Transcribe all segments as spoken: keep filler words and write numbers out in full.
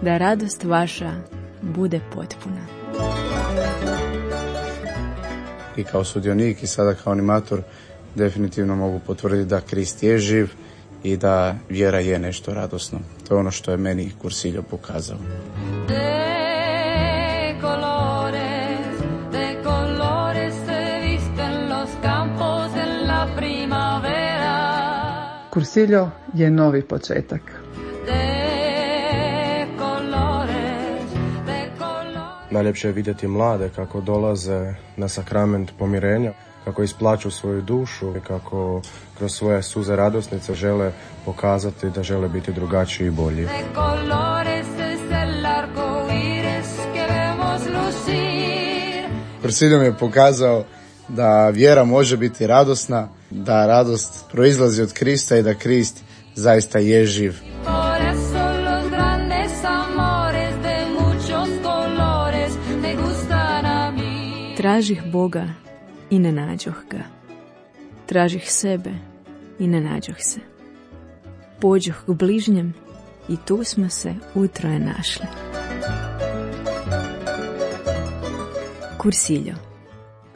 da radost vaša bude potpuna. I kao sudionik i sada kao animator definitivno mogu potvrditi da Krist je živ i da vjera je nešto radosno. To je ono što je meni Cursillo pokazao. Cursillo je novi početak. Najljepše je vidjeti mlade kako dolaze na sakrament pomirenja, kako isplaću svoju dušu i kako kroz svoje suze radosnice žele pokazati da žele biti drugačiji i bolji. Cursillo mi je pokazao da vjera može biti radosna, da radost proizlazi od Krista i da Krist zaista je živ. Tražih Boga i ne nađoh ga. Tražih sebe i ne nađoh se. Pođoh k bližnjem i tu smo se utroje našli. Cursillo.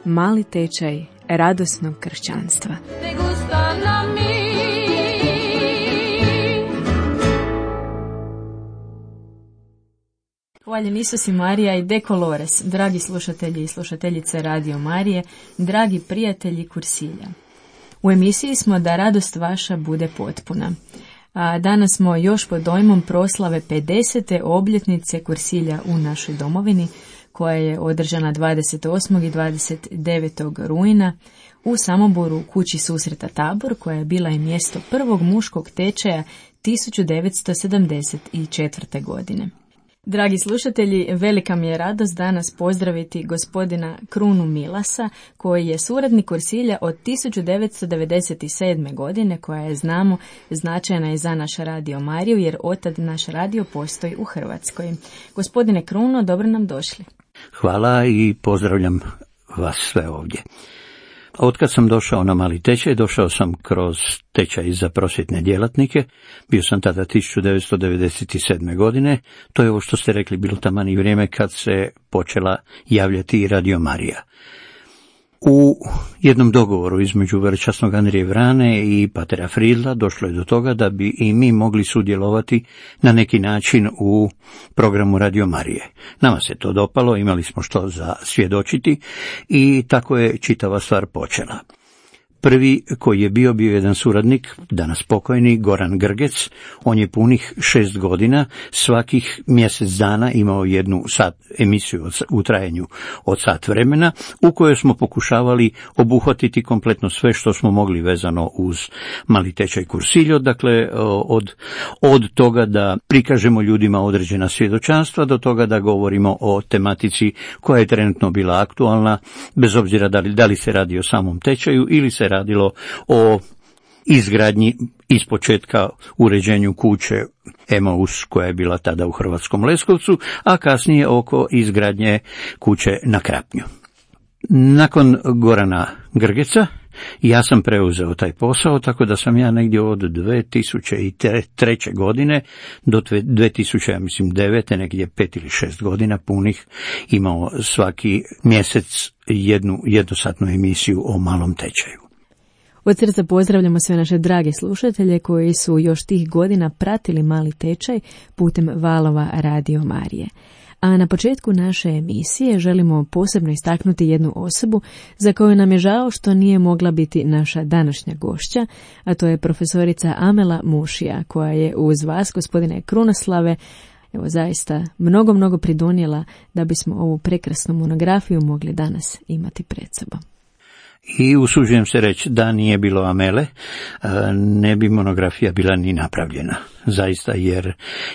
Mali tečaj radosnog kršćanstva. Hvaljen Isus i Marija i De Colores, dragi slušatelji i slušateljice Radio Marije, dragi prijatelji Cursilja. U emisiji smo da radost vaša bude potpuna. A danas smo još pod dojmom proslave pedesete obljetnice Cursilja u našoj domovini, koja je održana dvadeset osmog i dvadeset devetog rujna u Samoboru u kući susreta Tabor, koja je bila i mjesto prvog muškog tečaja tisuću devetsto sedamdeset četvrte. godine. Dragi slušatelji, velika mi je radost danas pozdraviti gospodina Krunu Milasa, koji je suradnik Cursilja od tisuću devetsto devedeset sedme. godine, koja je, znamo, značajna i za naš Radio Mariju, jer otad naš radio postoji u Hrvatskoj. Gospodine Kruno, dobro nam došli. Hvala i pozdravljam vas sve ovdje. Otkad sam došao na mali tečaj, došao sam kroz tečaj za prosvjetne djelatnike. Bio sam tada tisuću devetsto devedeset sedme. godine. To je ovo što ste rekli, bilo taman i vrijeme kad se počela javljati i Radio Marija. U jednom dogovoru između velečasnog Andrije Vrane i patera Fridla došlo je do toga da bi i mi mogli sudjelovati na neki način u programu Radio Marije. Nama se to dopalo, imali smo što za svjedočiti i tako je čitava stvar počela. Prvi koji je bio, bio jedan suradnik, danas pokojni, Goran Grgec. On je punih šest godina, svakih mjesec dana imao jednu sat emisiju u trajanju od sat vremena, u kojoj smo pokušavali obuhvatiti kompletno sve što smo mogli vezano uz mali tečaj Cursillo, dakle od, od toga da prikažemo ljudima određena svjedočanstva do toga da govorimo o tematici koja je trenutno bila aktualna, bez obzira da li, da li se radi o samom tečaju ili se radilo o izgradnji ispočetka uređenju kuće Emaus koja je bila tada u Hrvatskom Leskovcu, a kasnije oko izgradnje kuće na Krapnju. Nakon Gorana Grgeca ja sam preuzeo taj posao, tako da sam ja negdje od dvije tisuće treće. godine do dvije tisuće devete. negdje pet ili šest godina punih imao svaki mjesec jednu jednosatnu emisiju o malom tečaju. Od srca pozdravljamo sve naše drage slušatelje koji su još tih godina pratili mali tečaj putem valova Radio Marije. A na početku naše emisije želimo posebno istaknuti jednu osobu za koju nam je žao što nije mogla biti naša današnja gošća, a to je profesorica Amela Mušija, koja je uz vas, gospodine Krunoslave, evo zaista mnogo, mnogo pridonijela da bismo ovu prekrasnu monografiju mogli danas imati pred sobom. I usuđujem se reći da nije bilo Amele, ne bi monografija bila ni napravljena. Zaista, jer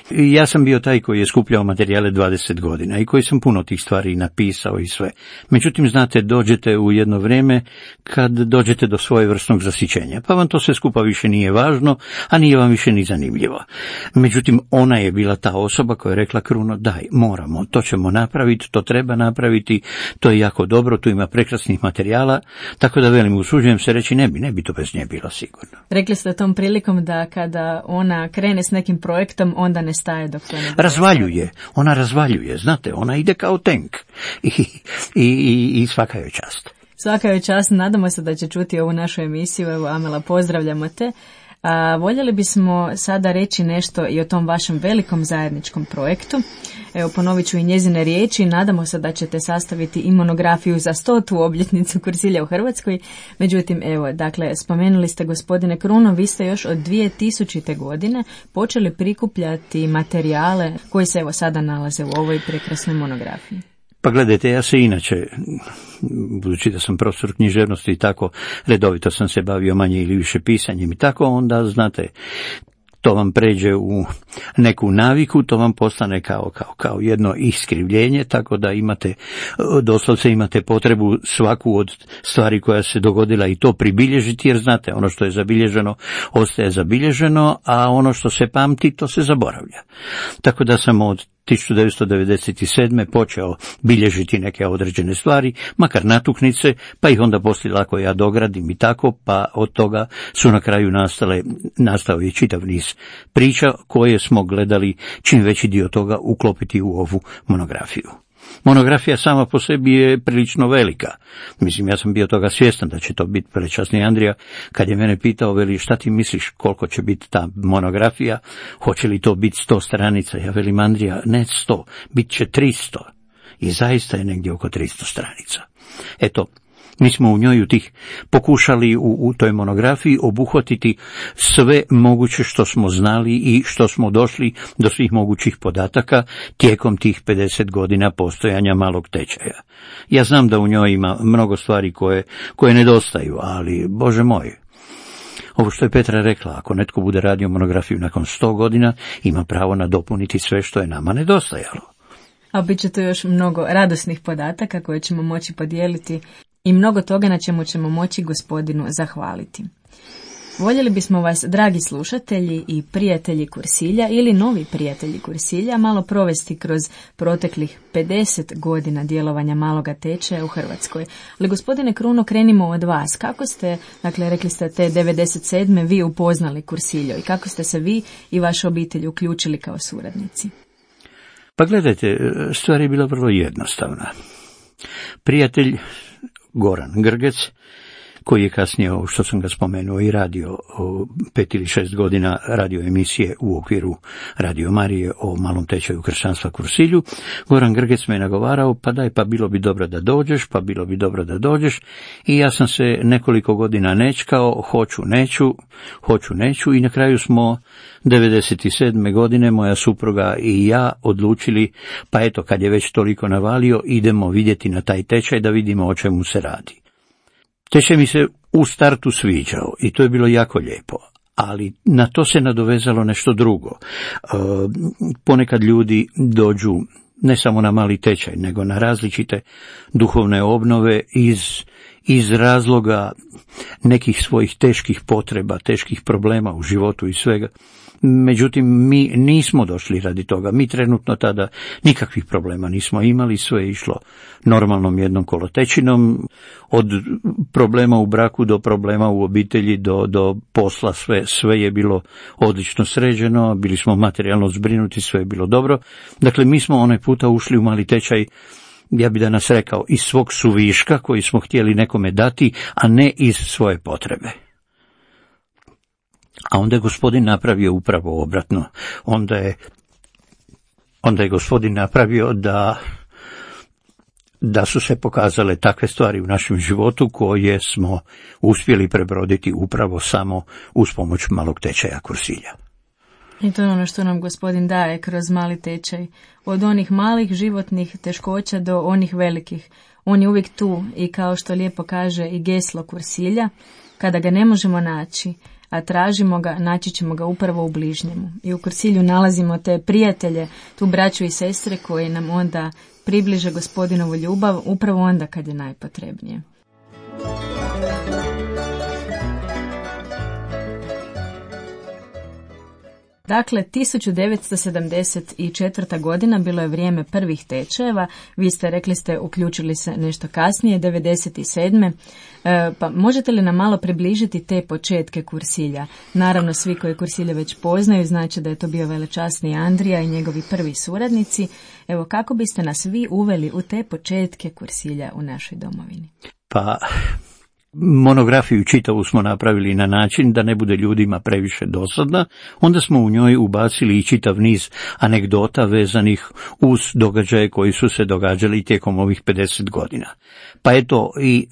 ja sam bio taj koji je skupljao materijale dvadeset godina i koji sam puno tih stvari napisao i sve. Međutim, znate, dođete u jedno vrijeme kad dođete do svojevrsnog zasićenja, pa vam to sve skupa više nije važno, a nije vam više ni zanimljivo. Međutim, ona je bila ta osoba koja je rekla: Kruno, daj, moramo, to ćemo napraviti, to treba napraviti, to je jako dobro, tu ima prekrasnih materijala, tako da velim, usuđujem se reći, ne bi, ne bi to bez nje bilo sigurno. Rekli ste tom prilikom da kada ona krene krene s nekim projektom, onda ne staje dok to ne bude. Razvaljuje, ona razvaljuje, znate, ona ide kao tank i, i, i, i svaka joj čast. Svaka joj čast, nadamo se da će čuti ovu našu emisiju. Evo, Amela, pozdravljamo te. A, voljeli bismo sada reći nešto i o tom vašem velikom zajedničkom projektu. Evo, ponovit ću i njezine riječi. Nadamo se da ćete sastaviti i monografiju za stotu obljetnicu Kursilja u Hrvatskoj. Međutim, evo, dakle, spomenuli ste, gospodine Kruno, vi ste još od dvije tisućite. godine počeli prikupljati materijale koji se evo sada nalaze u ovoj prekrasnoj monografiji. Pa gledajte, ja se inače, budući da sam profesor književnosti i tako, redovito sam se bavio manje ili više pisanjem i tako, onda, znate, to vam pređe u neku naviku, to vam postane kao, kao, kao jedno iskrivljenje, tako da imate, doslovce imate potrebu svaku od stvari koja se dogodila i to pribilježiti, jer znate, ono što je zabilježeno ostaje zabilježeno, a ono što se pamti, to se zaboravlja. Tako da sam od tisuću devetsto devedeset sedme. počeo bilježiti neke određene stvari, makar natuknice, pa ih onda poslije lako ja dogradim i tako, pa od toga su na kraju nastale, nastao i čitav niz priča koje smo gledali čim veći dio toga uklopiti u ovu monografiju. Monografija sama po sebi je prilično velika. Mislim, ja sam bio toga svjestan da će to biti velečasni Andrija. Kad je mene pitao, veli, šta ti misliš koliko će biti ta monografija, hoće li to biti sto stranica? Ja velim, Andrija, ne sto, bit će tristo. I zaista je negdje oko tristo stranica. Eto, mi smo u njoj u tih pokušali u, u toj monografiji obuhvatiti sve moguće što smo znali i što smo došli do svih mogućih podataka tijekom tih pedeset godina postojanja malog tečaja. Ja znam da u njoj ima mnogo stvari koje, koje nedostaju, ali, Bože moj, ovo što je Petra rekla, ako netko bude radio monografiju nakon sto godina, ima pravo nadopuniti sve što je nama nedostajalo. A bit će to još mnogo radosnih podataka koje ćemo moći podijeliti i mnogo toga na čemu ćemo moći gospodinu zahvaliti. Voljeli bismo vas, dragi slušatelji i prijatelji Kursilja ili novi prijatelji Kursilja, malo provesti kroz proteklih pedeset godina djelovanja maloga tečaja u Hrvatskoj. Ali, gospodine Kruno, krenimo od vas. Kako ste, dakle, rekli ste te devedeset sedme. vi upoznali Kursiljo i kako ste se vi i vaša obitelj uključili kao suradnici? Pa gledajte, stvar je bila vrlo jednostavna. Prijatelj Goran Grgec, koji je kasnije, što sam ga spomenuo, i radio pet ili šest godina radio emisije u okviru Radio Marije o malom tečaju kršćanstva Kursilju. Goran Grgec me nagovarao, pa daj, pa bilo bi dobro da dođeš, pa bilo bi dobro da dođeš, i ja sam se nekoliko godina nečkao, hoću, neću, hoću, neću, i na kraju smo devedeset sedme. godine moja supruga i ja odlučili, pa eto, kad je već toliko navalio, idemo vidjeti na taj tečaj da vidimo o čemu se radi. Tečaj mi se u startu sviđao i to je bilo jako lijepo, ali na to se nadovezalo nešto drugo. E, ponekad ljudi dođu ne samo na mali tečaj, nego na različite duhovne obnove iz, iz razloga nekih svojih teških potreba, teških problema u životu i svega. Međutim, mi nismo došli radi toga. Mi trenutno tada nikakvih problema nismo imali, sve je išlo normalnom jednom kolotečinom, od problema u braku do problema u obitelji, do, do posla, sve, sve je bilo odlično sređeno, bili smo materijalno zbrinuti, sve je bilo dobro. Dakle, mi smo onaj puta ušli u mali tečaj, ja bi danas rekao, iz svog suviška koji smo htjeli nekome dati, a ne iz svoje potrebe. A onda je gospodin napravio upravo obratno. Onda je, onda je gospodin napravio da, da su se pokazale takve stvari u našem životu koje smo uspjeli prebroditi upravo samo uz pomoć malog tečaja Kursilja. I to je ono što nam gospodin daje kroz mali tečaj. Od onih malih životnih teškoća do onih velikih. On je uvijek tu i, kao što lijepo kaže i geslo Kursilja, kada ga ne možemo naći, a tražimo ga, naći ćemo ga upravo u bližnjemu. I u Kursilju nalazimo te prijatelje, tu braću i sestre koji nam onda približe gospodinovu ljubav upravo onda kad je najpotrebnije. Dakle, tisuću devetsto sedamdeset četvrta. godina bilo je vrijeme prvih tečajeva, vi ste rekli ste uključili se nešto kasnije, devedeset sedme. E, pa možete li nam malo približiti te početke kursilja? Naravno, svi koji kursilje već poznaju, znači da je to bio velečasni Andrija i njegovi prvi suradnici. Evo, kako biste nas vi uveli u te početke kursilja u našoj domovini? Pa... monografiju čitavu smo napravili na način da ne bude ljudima previše dosadna, onda smo u njoj ubacili i čitav niz anegdota vezanih uz događaje koji su se događali tijekom ovih pedeset godina. Pa eto, i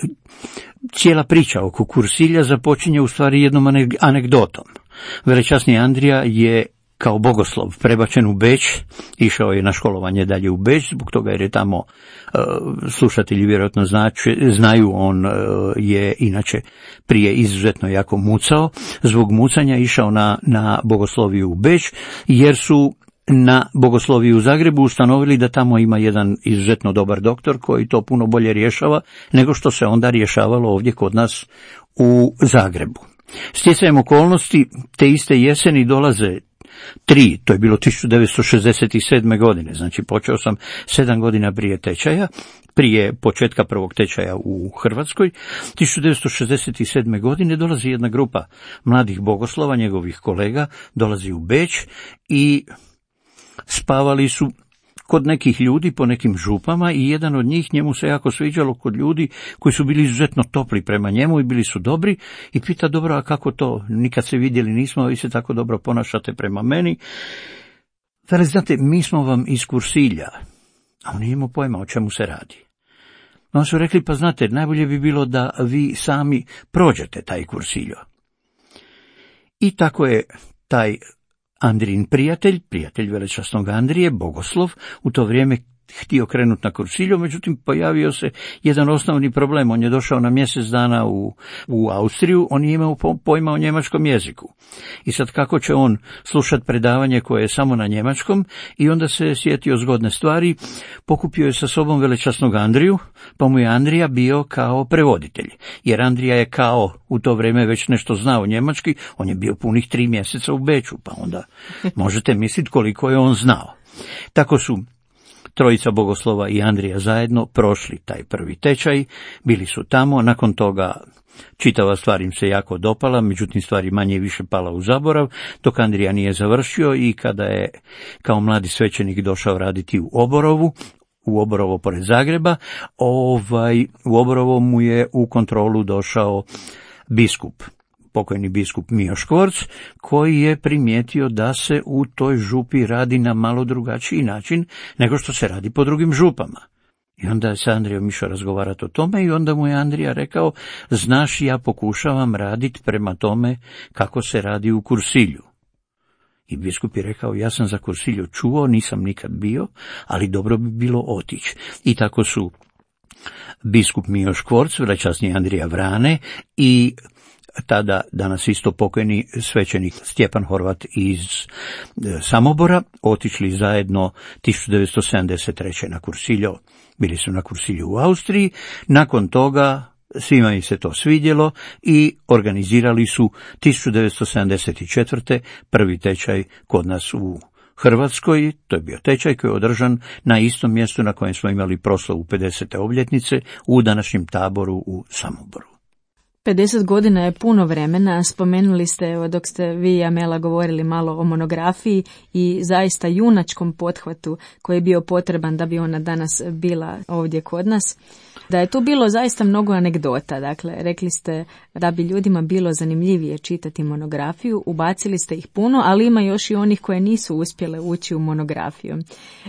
cijela priča oko kursilja započinje u stvari jednom anegdotom. Velečasni Andrija je kao bogoslov prebačen u Beč, išao je na školovanje dalje u Beč, zbog toga jer je tamo, e, slušatelji vjerojatno znači, znaju, on e, je inače prije izuzetno jako mucao, zbog mucanja išao na, na bogosloviju u Beč, jer su na bogosloviju u Zagrebu ustanovili da tamo ima jedan izuzetno dobar doktor koji to puno bolje rješava nego što se onda rješavalo ovdje kod nas u Zagrebu. Stjecajem okolnosti te iste jeseni dolaze tri, to je bilo tisuću devetsto šezdeset sedme. godine, znači počeo sam sedam godina prije tečaja, prije početka prvog tečaja u Hrvatskoj. tisuću devetsto šezdeset sedme. godine dolazi jedna grupa mladih bogoslova, njegovih kolega, dolazi u Beč i spavali su kod nekih ljudi po nekim župama i jedan od njih, njemu se jako sviđalo kod ljudi koji su bili izuzetno topli prema njemu i bili su dobri, i pita: dobro, a kako to, nikad se vidjeli nismo, a vi se tako dobro ponašate prema meni. Veli, znate, mi smo vam iz kursilja, a on nije imao pojma o čemu se radi. Oni su rekli: pa znate, najbolje bi bilo da vi sami prođete taj kursiljo. I tako je taj Andrijin prijatelj, prijatelj velečasnog Andrije, bogoslov, u to vrijeme htio krenuti na kursilju, međutim pojavio se jedan osnovni problem. On je došao na mjesec dana u, u Austriju, on nije imao pojma o njemačkom jeziku. I sad kako će on slušati predavanje koje je samo na njemačkom, i onda se sjetio zgodne stvari, pokupio je sa sobom velečasnog Andriju, pa mu je Andrija bio kao prevoditelj, jer Andrija je kao u to vrijeme već nešto znao njemački, on je bio punih tri mjeseca u Beču, pa onda možete misliti koliko je on znao. Tako su trojica bogoslova i Andrija zajedno prošli taj prvi tečaj, bili su tamo, nakon toga čitava stvar im se jako dopala, međutim stvari manje i više pala u zaborav, dok Andrija nije završio, i kada je kao mladi svećenik došao raditi u Oborovu, u Oborovo pored Zagreba, ovaj, u Oborovo mu je u kontrolu došao biskup, pokojni biskup Mijo Škvorc, koji je primijetio da se u toj župi radi na malo drugačiji način nego što se radi po drugim župama. I onda je sa Andrijom išao razgovarati o tome, i onda mu je Andrija rekao: znaš, ja pokušavam raditi prema tome kako se radi u kursilju. I biskup je rekao: ja sam za kursilju čuo, nisam nikad bio, ali dobro bi bilo otići. I tako su biskup Mijo Škvorc, velečasni Andrija Vrane i tada danas isto pokojni svećenik Stjepan Horvat iz Samobora otišli zajedno tisuću devetsto sedamdeset treće. na kursilju. Bili su na kursilju u Austriji, nakon toga svima im se to svidjelo i organizirali su tisuću devetsto sedamdeset četvrte. prvi tečaj kod nas u Hrvatskoj. To je bio tečaj koji je održan na istom mjestu na kojem smo imali proslavu pedesete obljetnice, u današnjem Taboru u Samoboru. pedeset godina je puno vremena. Spomenuli ste, evo, dok ste vi i Amela govorili malo o monografiji i zaista junačkom pothvatu koji je bio potreban da bi ona danas bila ovdje kod nas, da je tu bilo zaista mnogo anegdota. Dakle, rekli ste da bi ljudima bilo zanimljivije čitati monografiju, ubacili ste ih puno, ali ima još i onih koje nisu uspjele ući u monografiju.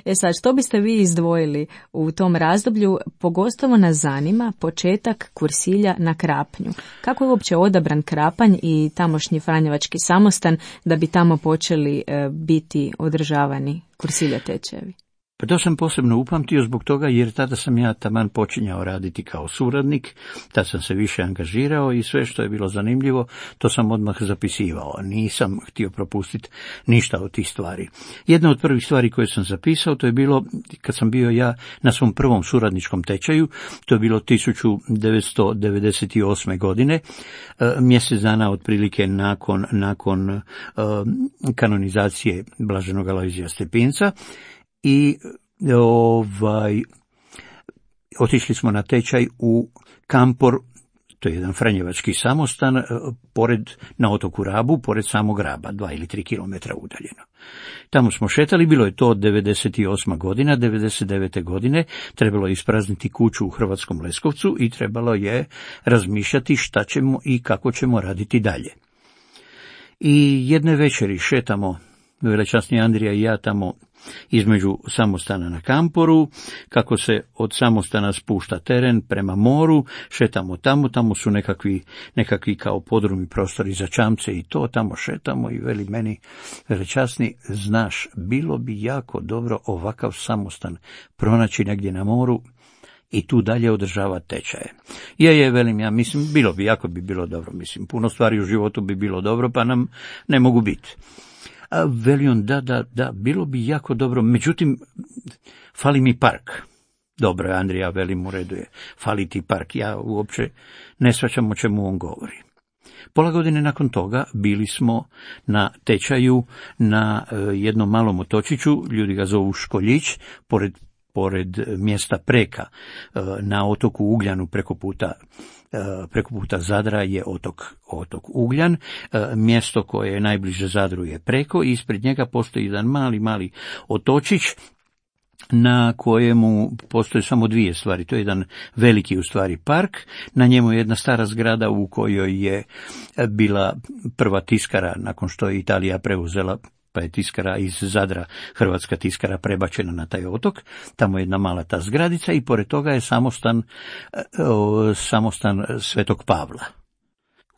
E sad, što biste vi izdvojili u tom razdoblju? Pogotovo nas zanima početak kursilja na Krapnju. Kako je uopće odabran Krapanj i tamošnji Franjevački samostan da bi tamo počeli e, biti održavani kursilja tečajevi? Pa to sam posebno upamtio zbog toga jer tada sam ja taman počinjao raditi kao suradnik, tad sam se više angažirao i sve što je bilo zanimljivo, to sam odmah zapisivao. Nisam htio propustiti ništa od tih stvari. Jedna od prvih stvari koje sam zapisao, to je bilo kad sam bio ja na svom prvom suradničkom tečaju, to je bilo tisuću devetsto devedeset osme. godine, mjesec dana otprilike nakon, nakon uh, kanonizacije Blaženog Alojzija Stepinca. I ovaj, otišli smo na tečaj u Kampor, to je jedan franjevački samostan, pored, na otoku Rabu, pored samog Raba, dva ili tri kilometra udaljeno. Tamo smo šetali, bilo je to devedeset osma. godina, devedeset devete. godine, trebalo je isprazniti kuću u Hrvatskom Leskovcu i trebalo je razmišljati šta ćemo i kako ćemo raditi dalje. I jedne večeri šetamo, velečasni Andrija i ja, tamo između samostana na Kamporu, kako se od samostana spušta teren prema moru, šetamo tamo, tamo su nekakvi, nekakvi kao podrumi prostori za čamce i to, tamo šetamo i veli meni, velečasni, znaš, bilo bi jako dobro ovakav samostan pronaći negdje na moru i tu dalje održavati tečaje. Je, je, velim ja, mislim, bilo bi, jako bi bilo dobro, mislim, puno stvari u životu bi bilo dobro, pa nam ne mogu biti. A veli on, da, da, da, bilo bi jako dobro, međutim, fali mi park. Dobro, Andrija, velim, u redu je, fali ti park, ja uopće ne shvaćam o čemu on govori. Pola godine nakon toga bili smo na tečaju na uh, jednom malom otočiću, ljudi ga zovu Školjić, pored, pored mjesta Preka, uh, na otoku Ugljanu preko puta preko puta Zadra je otok, otok Ugljan, mjesto koje je najbliže Zadru je Preko i ispred njega postoji jedan mali, mali otočić na kojemu postoje samo dvije stvari. To je jedan veliki u stvari park, na njemu je jedna stara zgrada u kojoj je bila prva tiskara nakon što je Italija preuzela, pa je tiskara iz Zadra, hrvatska tiskara, prebačena na taj otok. Tamo je jedna mala ta zgradica i pored toga je samostan, samostan Svetog Pavla.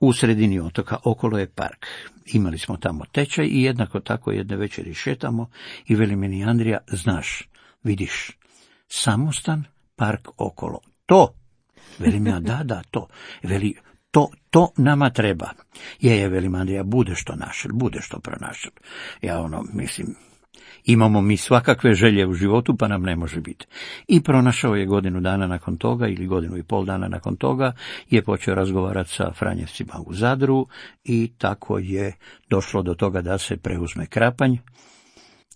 U sredini otoka, okolo je park. Imali smo tamo tečaj i jednako tako jedne večeri šetamo i veli meni Andrija, znaš, vidiš, samostan, park okolo. To, velim ja, da, da, to. Veli, To, to nama treba. Je, je, velim Andrija, bude što našel, bude što pronašel. Ja ono, mislim, imamo mi svakakve želje u životu, pa nam ne može biti. I pronašao je godinu dana nakon toga, ili godinu i pol dana nakon toga, je počeo razgovarati sa Franjevcima u Zadru i tako je došlo do toga da se preuzme Krapanj.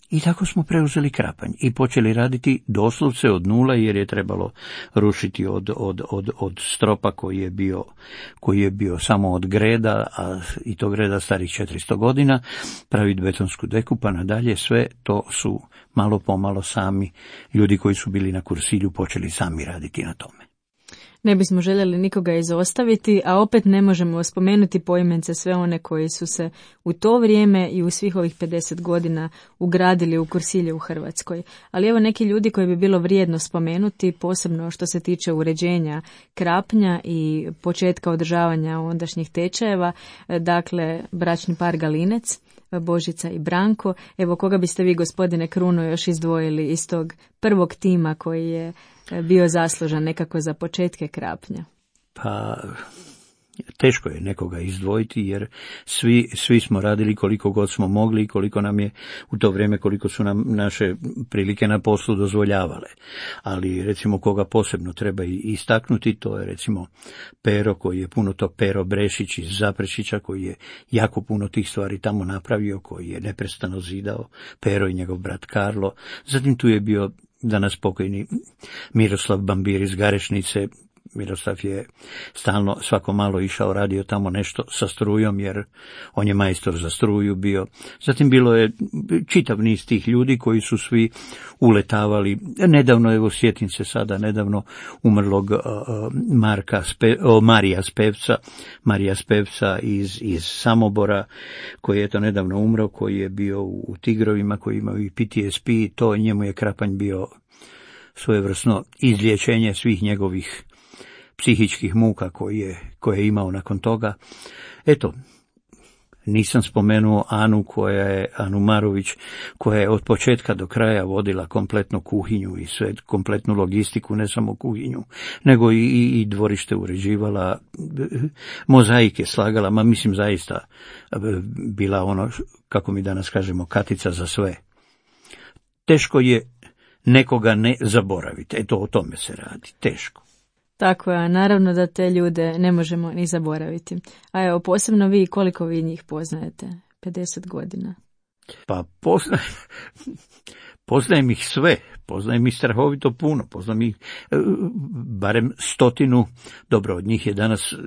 I tako smo preuzeli Krapanj i počeli raditi doslovce od nula, jer je trebalo rušiti od, od, od, od stropa koji je bio, koji je bio samo od greda, a i to greda starih četiristo godina, praviti betonsku deku, pa nadalje sve to su malo pomalo sami ljudi koji su bili na Kursilju počeli sami raditi na tome. Ne bismo željeli nikoga izostaviti, a opet ne možemo spomenuti poimence sve one koji su se u to vrijeme i u svih ovih pedeset godina ugradili u Kursilje u Hrvatskoj. Ali evo neki ljudi koji bi bilo vrijedno spomenuti, posebno što se tiče uređenja Krapnja i početka održavanja ondašnjih tečajeva, dakle bračni par Galinec, Božica i Branko. Evo koga biste vi, gospodine Kruno, još izdvojili iz tog prvog tima koji je bio zaslužan nekako za početke Krapnja? Pa teško je nekoga izdvojiti, jer svi, svi smo radili koliko god smo mogli i koliko nam je u to vrijeme, koliko su nam naše prilike na poslu dozvoljavale. Ali recimo koga posebno treba istaknuti, to je recimo Pero, koji je puno to, Pero Brešić iz Zaprešića, koji je jako puno tih stvari tamo napravio, koji je neprestano zidao, Pero i njegov brat Karlo. Zatim tu je bio danas pokojni Miroslav Bambir iz Garešnice. Miroslav je stalno svako malo išao, radio tamo nešto sa strujom, jer on je majstor za struju bio. Zatim bilo je čitav niz tih ljudi koji su svi uletavali. Nedavno, evo sjetim se sada, nedavno umrlog uh, Marka Spe, uh, Marija Spevca, Marija Spevca iz, iz Samobora, koji je to nedavno umro, koji je bio u Tigrovima, koji imao i P T S P, to njemu je Krapanj bio svojevrsno izlječenje svih njegovih psihičkih muka koje je, koje je imao nakon toga. Eto, Nisam spomenuo Anu koja je, Anu Marović, koja je od početka do kraja vodila kompletnu kuhinju i sve, kompletnu logistiku, ne samo kuhinju, nego i, i, i dvorište uređivala, mozaike slagala, ma mislim zaista bila ono, kako mi danas kažemo, katica za sve. Teško je nekoga ne zaboraviti, eto o tome se radi, teško. Tako je, naravno da te ljude ne možemo ni zaboraviti. A evo, posebno vi, koliko vi njih poznajete? pedeset godina. Pa poznajem, poznajem ih sve, poznajem ih strahovito puno, poznajem ih e, barem stotinu, dobro, od njih je danas e,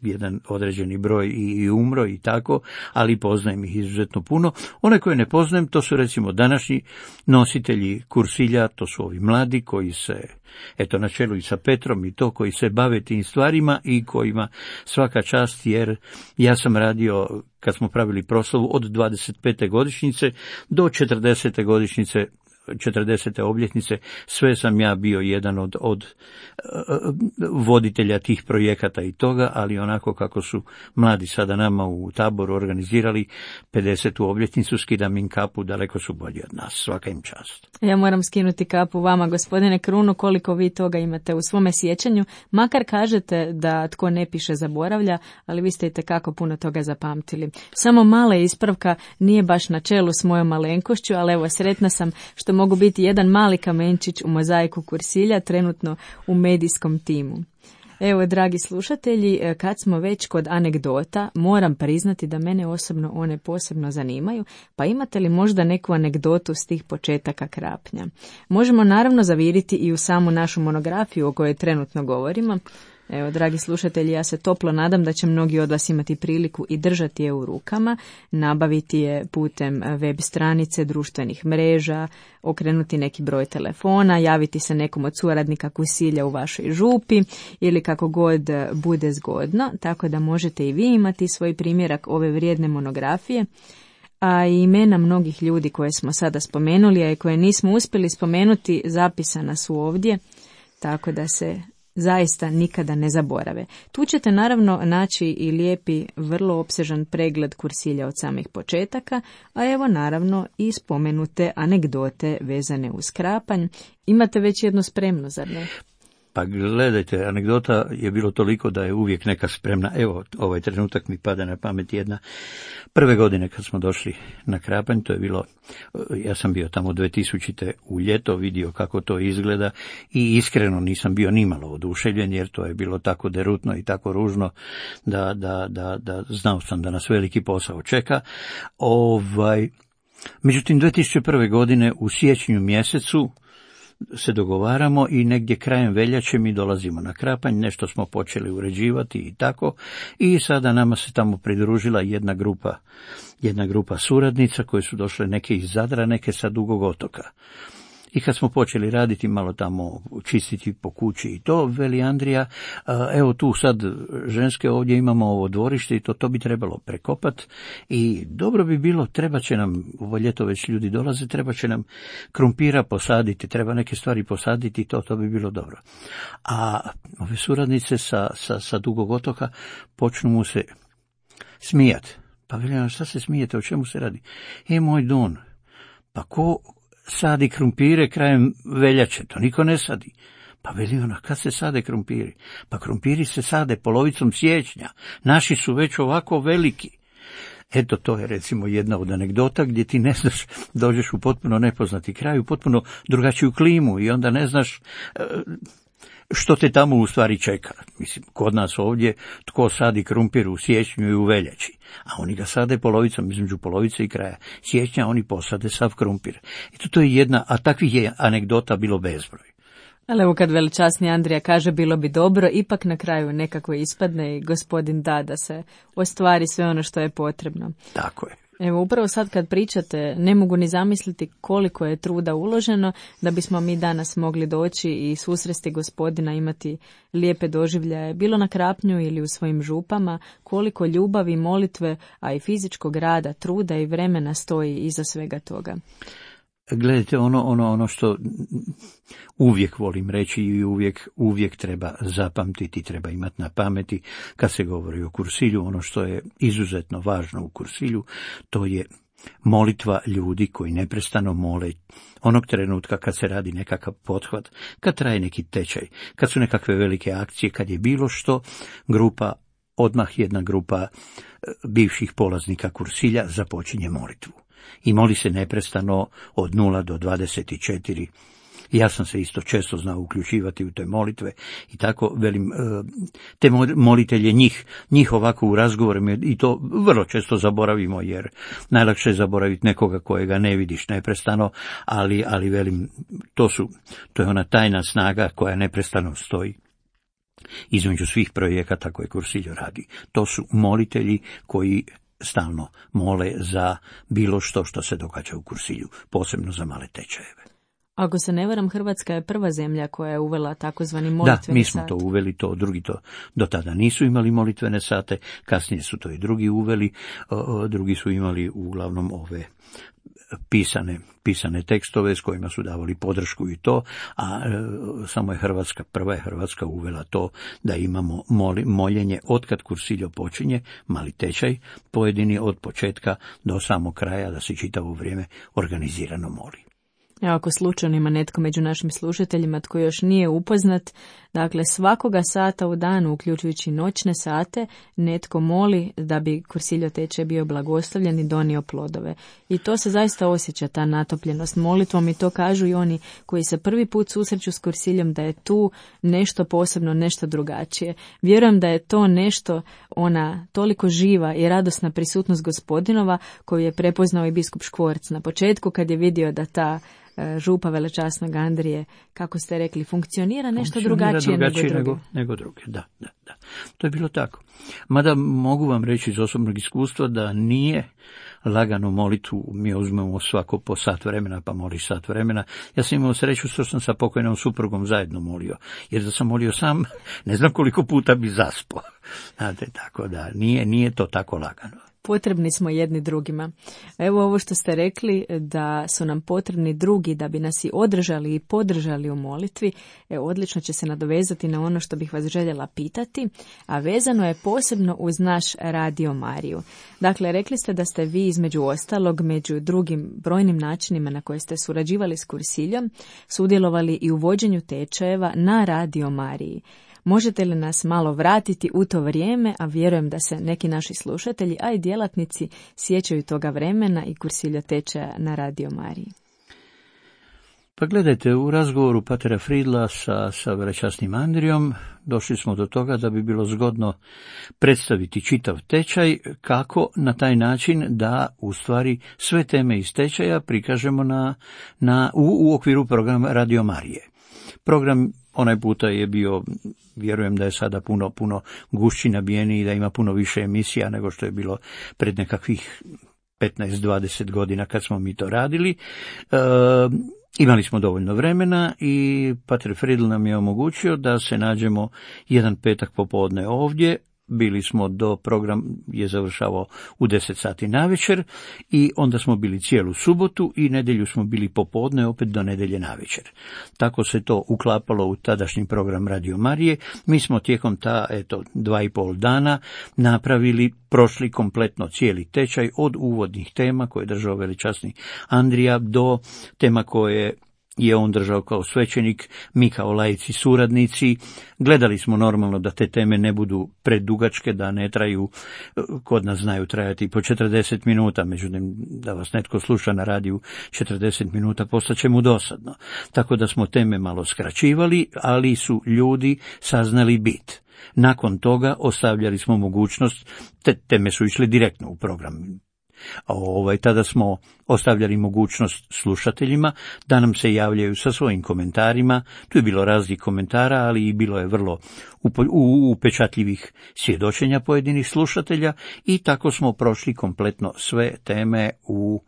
jedan određeni broj i, i umro i tako, ali poznajem ih izuzetno puno. One koje ne poznajem, to su recimo današnji nositelji kursilja, to su ovi mladi koji se, eto na čelu i sa Petrom i to, koji se bave tim stvarima i kojima svaka čast, jer ja sam radio, kad smo pravili proslavu, od dvadeset pete godišnjice do četrdesete godišnjice, četrdesete obljetnice, sve sam ja bio jedan od, od uh, voditelja tih projekata i toga, ali onako kako su mladi sada nama u Taboru organizirali pedesetu obljetnicu, skidam im kapu, daleko su bolji od nas, svaka im čast. Ja moram skinuti kapu vama, gospodine Krunu, koliko vi toga imate u svome sjećanju, makar kažete da tko ne piše zaboravlja, ali vi ste itekako puno toga zapamtili. Samo mala ispravka, nije baš na čelu s mojom malenkošću, ali evo, sretna sam što mogu biti jedan mali kamenčić u mozaiku kursilja, trenutno u medijskom timu. Evo, dragi slušatelji, kad smo već kod anegdota, moram priznati da mene osobno one posebno zanimaju, pa imate li možda neku anegdotu s tih početaka Krapnja? Možemo naravno zaviriti i u samu našu monografiju o kojoj trenutno govorimo. Evo, dragi slušatelji, ja se toplo nadam da će mnogi od vas imati priliku i držati je u rukama, nabaviti je putem web stranice, društvenih mreža, okrenuti neki broj telefona, javiti se nekom od suradnika kursilja u vašoj župi ili kako god bude zgodno, tako da možete i vi imati svoj primjerak ove vrijedne monografije. A i imena mnogih ljudi koje smo sada spomenuli, a i koje nismo uspjeli spomenuti, zapisana su ovdje, tako da se zaista nikada ne zaborave. Tu ćete naravno naći i lijepi, vrlo opsežan pregled kursilja od samih početaka, a evo naravno i spomenute anegdote vezane uz Krapanj. Imate već jedno spremno, zar ne? Pa gledajte, anegdota je bilo toliko da je uvijek neka spremna. Evo, ovaj trenutak mi pada na pamet jedna. Prve godine kad smo došli na Krapanj, to je bilo, ja sam bio tamo dve tisućite u ljeto, vidio kako to izgleda i iskreno nisam bio nimalo oduševljen, jer to je bilo tako derutno i tako ružno da, da, da, da znao sam da nas veliki posao čeka. Ovaj, međutim, dve tisuće prve godine u siječnju mjesecu se dogovaramo i negdje krajem veljače mi dolazimo na Krapanj, nešto smo počeli uređivati i tako, i sada nama se tamo pridružila jedna grupa, jedna grupa suradnica koje su došle, neke iz Zadra, neke sa Dugog Otoka. I kad smo počeli raditi, malo tamo čistiti po kući i to, veli Andrija, evo tu sad ženske ovdje imamo ovo dvorište i to, to bi trebalo prekopat i dobro bi bilo, treba će nam, ovo ljeto već ljudi dolaze, treba će nam krumpira posaditi, treba neke stvari posaditi i to, to bi bilo dobro. A ove suradnice sa, sa, sa Dugog Otoka počnu mu se smijati. Pa veli, šta se smijete, o čemu se radi? E, moj Don, pa ko sadi krumpire krajem veljače, to niko ne sadi. Pa veli ona, kad se sade krumpiri? Pa krumpiri se sade polovicom siječnja, naši su već ovako veliki. Eto, to je recimo jedna od anegdota gdje ti ne znaš, dođeš u potpuno nepoznati kraj, u potpuno drugačiju klimu i onda ne znaš što te tamo u stvari čeka. Mislim, kod nas ovdje tko sadi krumpir u siječnju i u veljači, a oni ga sade polovicom, između polovice i kraja siječnja oni posade sav krumpir. I to je jedna, a takvih je anegdota bilo bezbroj. Ali evo, kad veličasni Andrija kaže bilo bi dobro, ipak na kraju nekako ispadne i gospodin da da se ostvari sve ono što je potrebno. Tako je. Evo, upravo sad kad pričate, ne mogu ni zamisliti koliko je truda uloženo da bismo mi danas mogli doći i susresti gospodina, imati lijepe doživljaje, bilo na Krapnju ili u svojim župama, koliko ljubavi, molitve, a i fizičkog rada, truda i vremena stoji iza svega toga. Gledajte, ono, ono, ono što uvijek volim reći i uvijek, uvijek treba zapamtiti, treba imati na pameti kad se govori o kursilju, ono što je izuzetno važno u kursilju, to je molitva ljudi koji neprestano mole onog trenutka kad se radi nekakav pothvat, kad traje neki tečaj, kad su nekakve velike akcije, kad je bilo što, grupa, odmah jedna grupa bivših polaznika kursilja započinje molitvu. I moli se neprestano od nula do dvadeset četiri. Ja sam se isto često znao uključivati u te molitve i tako, velim, te molitelje njih, njih ovako u razgovorima i to vrlo često zaboravimo, jer najlakše je zaboraviti nekoga kojega ne vidiš neprestano, ali, ali velim, to su, to je ona tajna snaga koja neprestano stoji između svih projekata koje Kursiljo radi. To su molitelji koji stalno mole za bilo što što se događa u Kursilju, posebno za male tečajeve. Ako se ne varam, Hrvatska je prva zemlja koja je uvela takozvani molitveni sat. Da, mi smo sat. to uveli, to drugi to do tada nisu imali molitvene sate, kasnije su to i drugi uveli, o, drugi su imali uglavnom ove pisane, pisane tekstove s kojima su davali podršku i to, a e, samo je Hrvatska, prva je Hrvatska uvela to da imamo moli, moljenje otkad Kursiljo počinje, mali tečaj, pojedini od početka do samog kraja, da se čitavo vrijeme organizirano moli. Evo, ako slučajno ima netko među našim slušateljima tko još nije upoznat, dakle svakoga sata u danu, uključujući noćne sate, netko moli da bi Kursiljo tečaj bio blagoslovljen i donio plodove. I to se zaista osjeća, ta natopljenost molitvom, i to kažu i oni koji se prvi put susreću s Kursiljom, da je tu nešto posebno, nešto drugačije. Vjerujem da je to nešto, ona toliko živa i radosna prisutnost Gospodinova koju je prepoznao i biskup Škvorc na početku kad je vidio da ta župa velečasnog Andrije, kako ste rekli, funkcionira nešto funkcionira drugačije, drugačije nego, nego, nego druge. Da, da, da. To je bilo tako. Mada mogu vam reći iz osobnog iskustva da nije lagano molitvu, mi uzmemo svako po sat vremena, pa moliš sat vremena. Ja sam imao sreću što sam sa pokojnom suprugom zajedno molio, jer da sam molio sam, ne znam koliko puta bi zaspao. Znate, tako da nije, nije to tako lagano. Potrebni smo jedni drugima. Evo ovo što ste rekli, da su nam potrebni drugi da bi nas i održali i podržali u molitvi, e, odlično će se nadovezati na ono što bih vas željela pitati, a vezano je posebno uz naš Radio Mariju. Dakle, rekli ste da ste vi između ostalog, među drugim brojnim načinima na koje ste surađivali s Kursiljom, sudjelovali i u vođenju tečajeva na Radio Mariji. Možete li nas malo vratiti u to vrijeme, a vjerujem da se neki naši slušatelji, a i djelatnici sjećaju toga vremena i Kursiljo tečaja na Radio Mariji? Pa gledajte, u razgovoru patera Fridla sa, sa velečasnim Andrijom došli smo do toga da bi bilo zgodno predstaviti čitav tečaj, kako na taj način da u stvari sve teme iz tečaja prikažemo na, na, u, u okviru programa Radio Marije. Program onaj puta je bio, vjerujem da je sada puno, puno gušći nabijeniji i da ima puno više emisija nego što je bilo pred nekakvih petnaest dvadeset godina kad smo mi to radili. E, imali smo dovoljno vremena i pater Fridl nam je omogućio da se nađemo jedan petak popodne ovdje. Bili smo do, program je završavao u deset sati navečer i onda smo bili cijelu subotu i nedjelju smo bili popodne opet do nedjelje navečer. Tako se to uklapalo u tadašnji program Radio Marije. Mi smo tijekom ta, eto, dva i pol dana napravili, prošli kompletno cijeli tečaj od uvodnih tema koje je držao velečasni Andrija do tema koje je on držao kao svećenik, mi kao laici suradnici. Gledali smo normalno da te teme ne budu predugačke, da ne traju, kod nas znaju trajati po četrdeset minuta, međutim da vas netko sluša na radiju četrdeset minuta postaće mu dosadno. Tako da smo teme malo skraćivali, ali su ljudi saznali bit. Nakon toga ostavljali smo mogućnost, te teme su išle direktno u program. Ovaj, tada smo ostavljali mogućnost slušateljima da nam se javljaju sa svojim komentarima. Tu je bilo raznih komentara, ali i bilo je vrlo upečatljivih svjedočenja pojedinih slušatelja i tako smo prošli kompletno sve teme u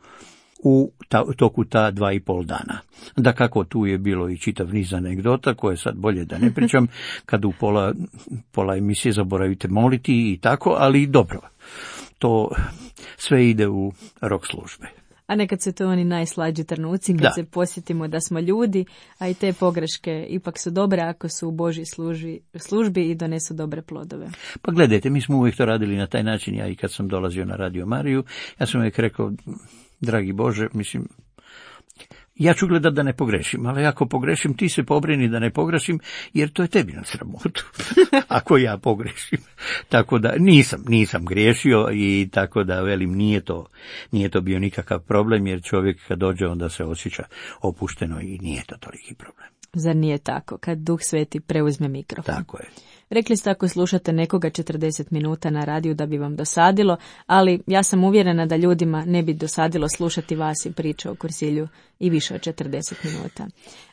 u ta, toku ta dva i pol dana. Da kako tu je bilo i čitav niz anegdota koje sad bolje da ne pričam, kad u pola, pola emisije zaboravite moliti i tako, ali dobro. To sve ide u rok službe. A nekad su to oni najslađi trenuci kad da. se posjetimo da smo ljudi, a i te pogreške ipak su dobre ako su u Božji službi, službi i donesu dobre plodove. Pa gledajte, mi smo uvijek to radili na taj način, ja i kad sam dolazio na Radio Mariju, ja sam uvijek rekao, dragi Bože, mislim, ja ću gledat da ne pogrešim, ali ako pogrešim, ti se pobrini da ne pogrešim, jer to je tebi na sramotu, ako ja pogrešim. Tako da nisam, nisam griješio i tako da velim, nije to, nije to bio nikakav problem, jer čovjek kad dođe onda se osjeća opušteno i nije to toliki problem. Zar nije tako, kad Duh Sveti preuzme mikrofon? Tako je. Rekli ste ako slušate nekoga četrdeset minuta na radiju da bi vam dosadilo, ali ja sam uvjerena da ljudima ne bi dosadilo slušati vas i priče o Kursilju i više od četrdeset minuta.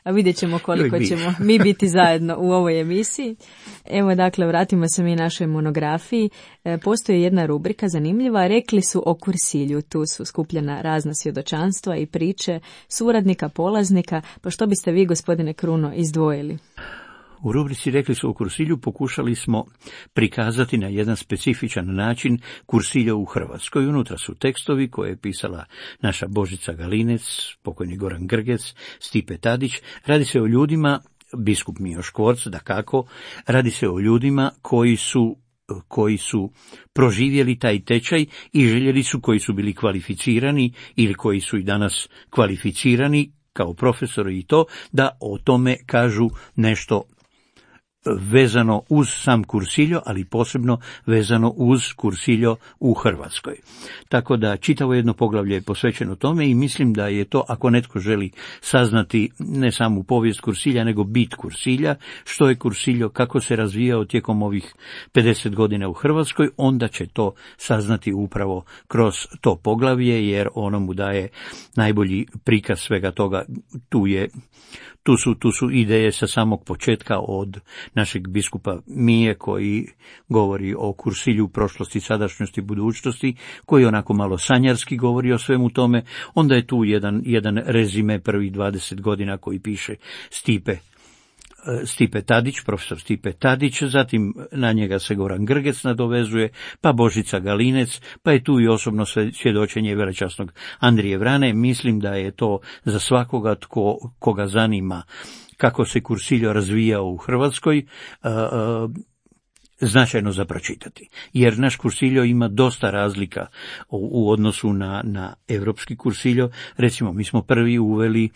A vidjet ćemo koliko ćemo mi biti zajedno u ovoj emisiji. Evo dakle, vratimo se mi našoj monografiji. E, postoji jedna rubrika zanimljiva, rekli su o Kursilju. Tu su skupljena razna svjedočanstva i priče suradnika, polaznika, pa što biste vi, gospodine Kruno, izdvojili? U rubrici Rekli su o Kursilju pokušali smo prikazati na jedan specifičan način Kursilja u Hrvatskoj. Unutra su tekstovi koje je pisala naša Božica Galinec, pokojni Goran Grgec, Stipe Tadić. Radi se o ljudima, biskup Mijo Škvorc, dakako, radi se o ljudima koji su koji su proživjeli taj tečaj i željeli su, koji su bili kvalificirani ili koji su i danas kvalificirani kao profesori i to, da o tome kažu nešto vezano uz sam Kursiljo, ali posebno vezano uz Kursiljo u Hrvatskoj. Tako da čitavo jedno poglavlje je posvećeno tome i mislim da je to, ako netko želi saznati ne samo povijest Kursilja, nego bit Kursilja, što je Kursiljo, kako se razvijao tijekom ovih pedeset godina u Hrvatskoj, onda će to saznati upravo kroz to poglavlje, jer ono mu daje najbolji prikaz svega toga. Tu je Tu su, tu su ideje sa samog početka od našeg biskupa Mije koji govori o Kursilju, prošlosti, sadašnjosti, budućnosti, koji onako malo sanjarski govori o svemu tome. Onda je tu jedan, jedan rezime prvih dvadeset godina koji piše Stipe Stipe Tadić, profesor Stipe Tadić, zatim na njega se Goran Grgec nadovezuje, pa Božica Galinec, pa je tu i osobno svjedočenje velečasnog Andrije Vrane. Mislim da je to za svakoga tko, koga zanima kako se Kursiljo razvijao u Hrvatskoj, a, a, značajno za pročitati. Jer naš Kursiljo ima dosta razlika u, u odnosu na, na evropski Kursiljo. Recimo, mi smo prvi uveli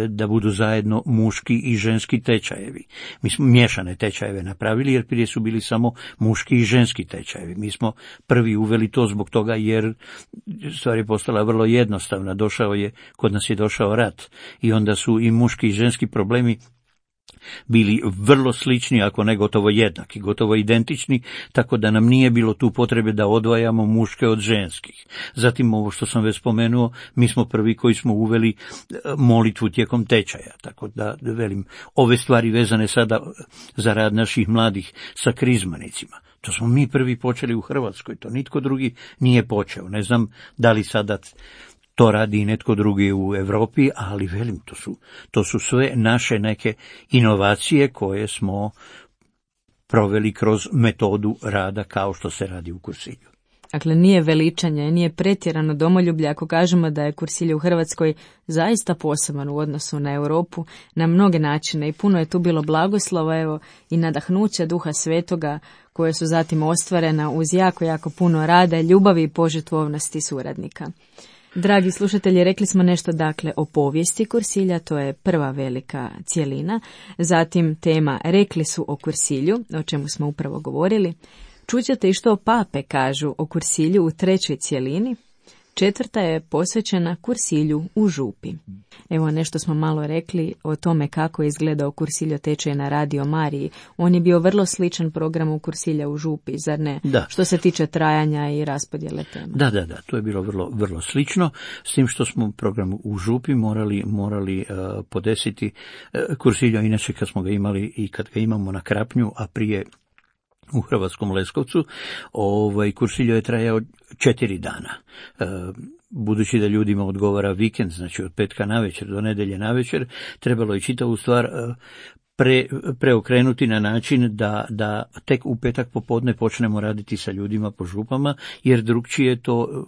da budu zajedno muški i ženski tečajevi. Mi smo miješane tečajeve napravili, jer prije su bili samo muški i ženski tečajevi. Mi smo prvi uveli to zbog toga jer stvar je postala vrlo jednostavna. Došao je, kod nas je došao rat i onda su i muški i ženski problemi bili vrlo slični, ako ne gotovo jednaki, gotovo identični, tako da nam nije bilo tu potrebe da odvajamo muške od ženskih. Zatim ovo što sam već spomenuo, mi smo prvi koji smo uveli molitvu tijekom tečaja, tako da velim, ove stvari vezane sada za rad naših mladih sa krizmanicima. To smo mi prvi počeli u Hrvatskoj, to nitko drugi nije počeo. Ne znam da li sada to radi i netko drugi u Europi, ali velim, to su, to su sve naše neke inovacije koje smo proveli kroz metodu rada kao što se radi u Kursilju. Dakle, nije veličanje, nije pretjerano domoljublje ako kažemo da je Kursilje u Hrvatskoj zaista poseban u odnosu na Europu na mnoge načine i puno je tu bilo blagoslova, evo, i nadahnuća Duha Svetoga koje su zatim ostvarena uz jako, jako puno rada, ljubavi i požrtvovnosti suradnika. Dragi slušatelji, rekli smo nešto dakle o povijesti Kursilja, to je prva velika cjelina, zatim tema Rekli su o Kursilju, o čemu smo upravo govorili. Čućete i što pape kažu o Kursilju u trećoj cjelini. Četvrta je posvećena Kursilju u Župi. Evo nešto smo malo rekli o tome kako je izgledao Kursiljo tečaj na Radio Mariji. On je bio vrlo sličan programu Kursilja u Župi, zar ne? Da. Što se tiče trajanja i raspodjele tema. Da, da, da, to je bilo vrlo, vrlo slično, s tim što smo program u Župi morali, morali uh, podesiti uh, Kursiljo, inače kad smo ga imali i kad ga imamo na Krapnju, a prije u Hrvatskom Leskovcu, ovaj Kursiljo je trajao četiri dana. E, budući da ljudima odgovara vikend, znači od petka navečer do nedjelje navečer, trebalo je čitavu stvar e, pre, preokrenuti na način da, da tek u petak popodne počnemo raditi sa ljudima po župama, jer drugčije to,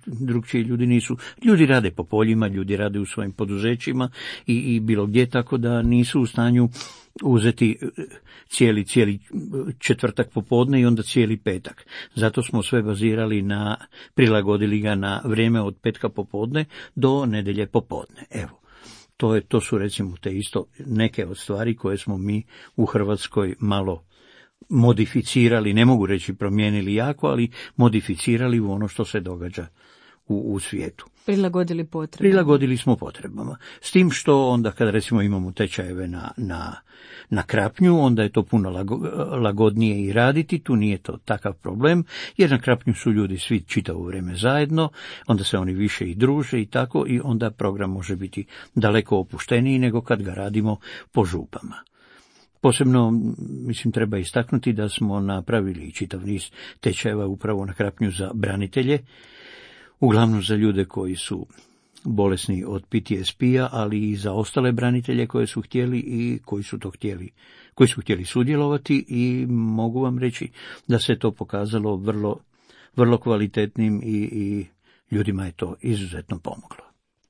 drugčije ljudi nisu. Ljudi rade po poljima, ljudi rade u svojim poduzećima i, i bilo gdje, tako da nisu u stanju uzeti cijeli, cijeli četvrtak popodne i onda cijeli petak. Zato smo sve bazirali na, prilagodili ga na vrijeme od petka popodne do nedjelje popodne. Evo, to, je, to su recimo te isto neke od stvari koje smo mi u Hrvatskoj malo modificirali, ne mogu reći promijenili jako, ali modificirali u ono što se događa u, u svijetu. Prilagodili potrebama. Prilagodili smo potrebama. S tim što onda kad recimo imamo tečajeve na, na, na Krapnju, onda je to puno lago, lagodnije i raditi, tu nije to takav problem, jer na Krapnju su ljudi svi čitavo vrijeme zajedno, onda se oni više i druže i tako, i onda program može biti daleko opušteniji nego kad ga radimo po župama. Posebno, mislim, treba istaknuti da smo napravili čitav niz tečajeva upravo na Krapnju za branitelje, uglavnom za ljude koji su bolesni od P T S P-a, ali i za ostale branitelje koje su htjeli i koji su to htjeli, koji su htjeli sudjelovati, i mogu vam reći da se to pokazalo vrlo, vrlo kvalitetnim i, i ljudima je to izuzetno pomoglo.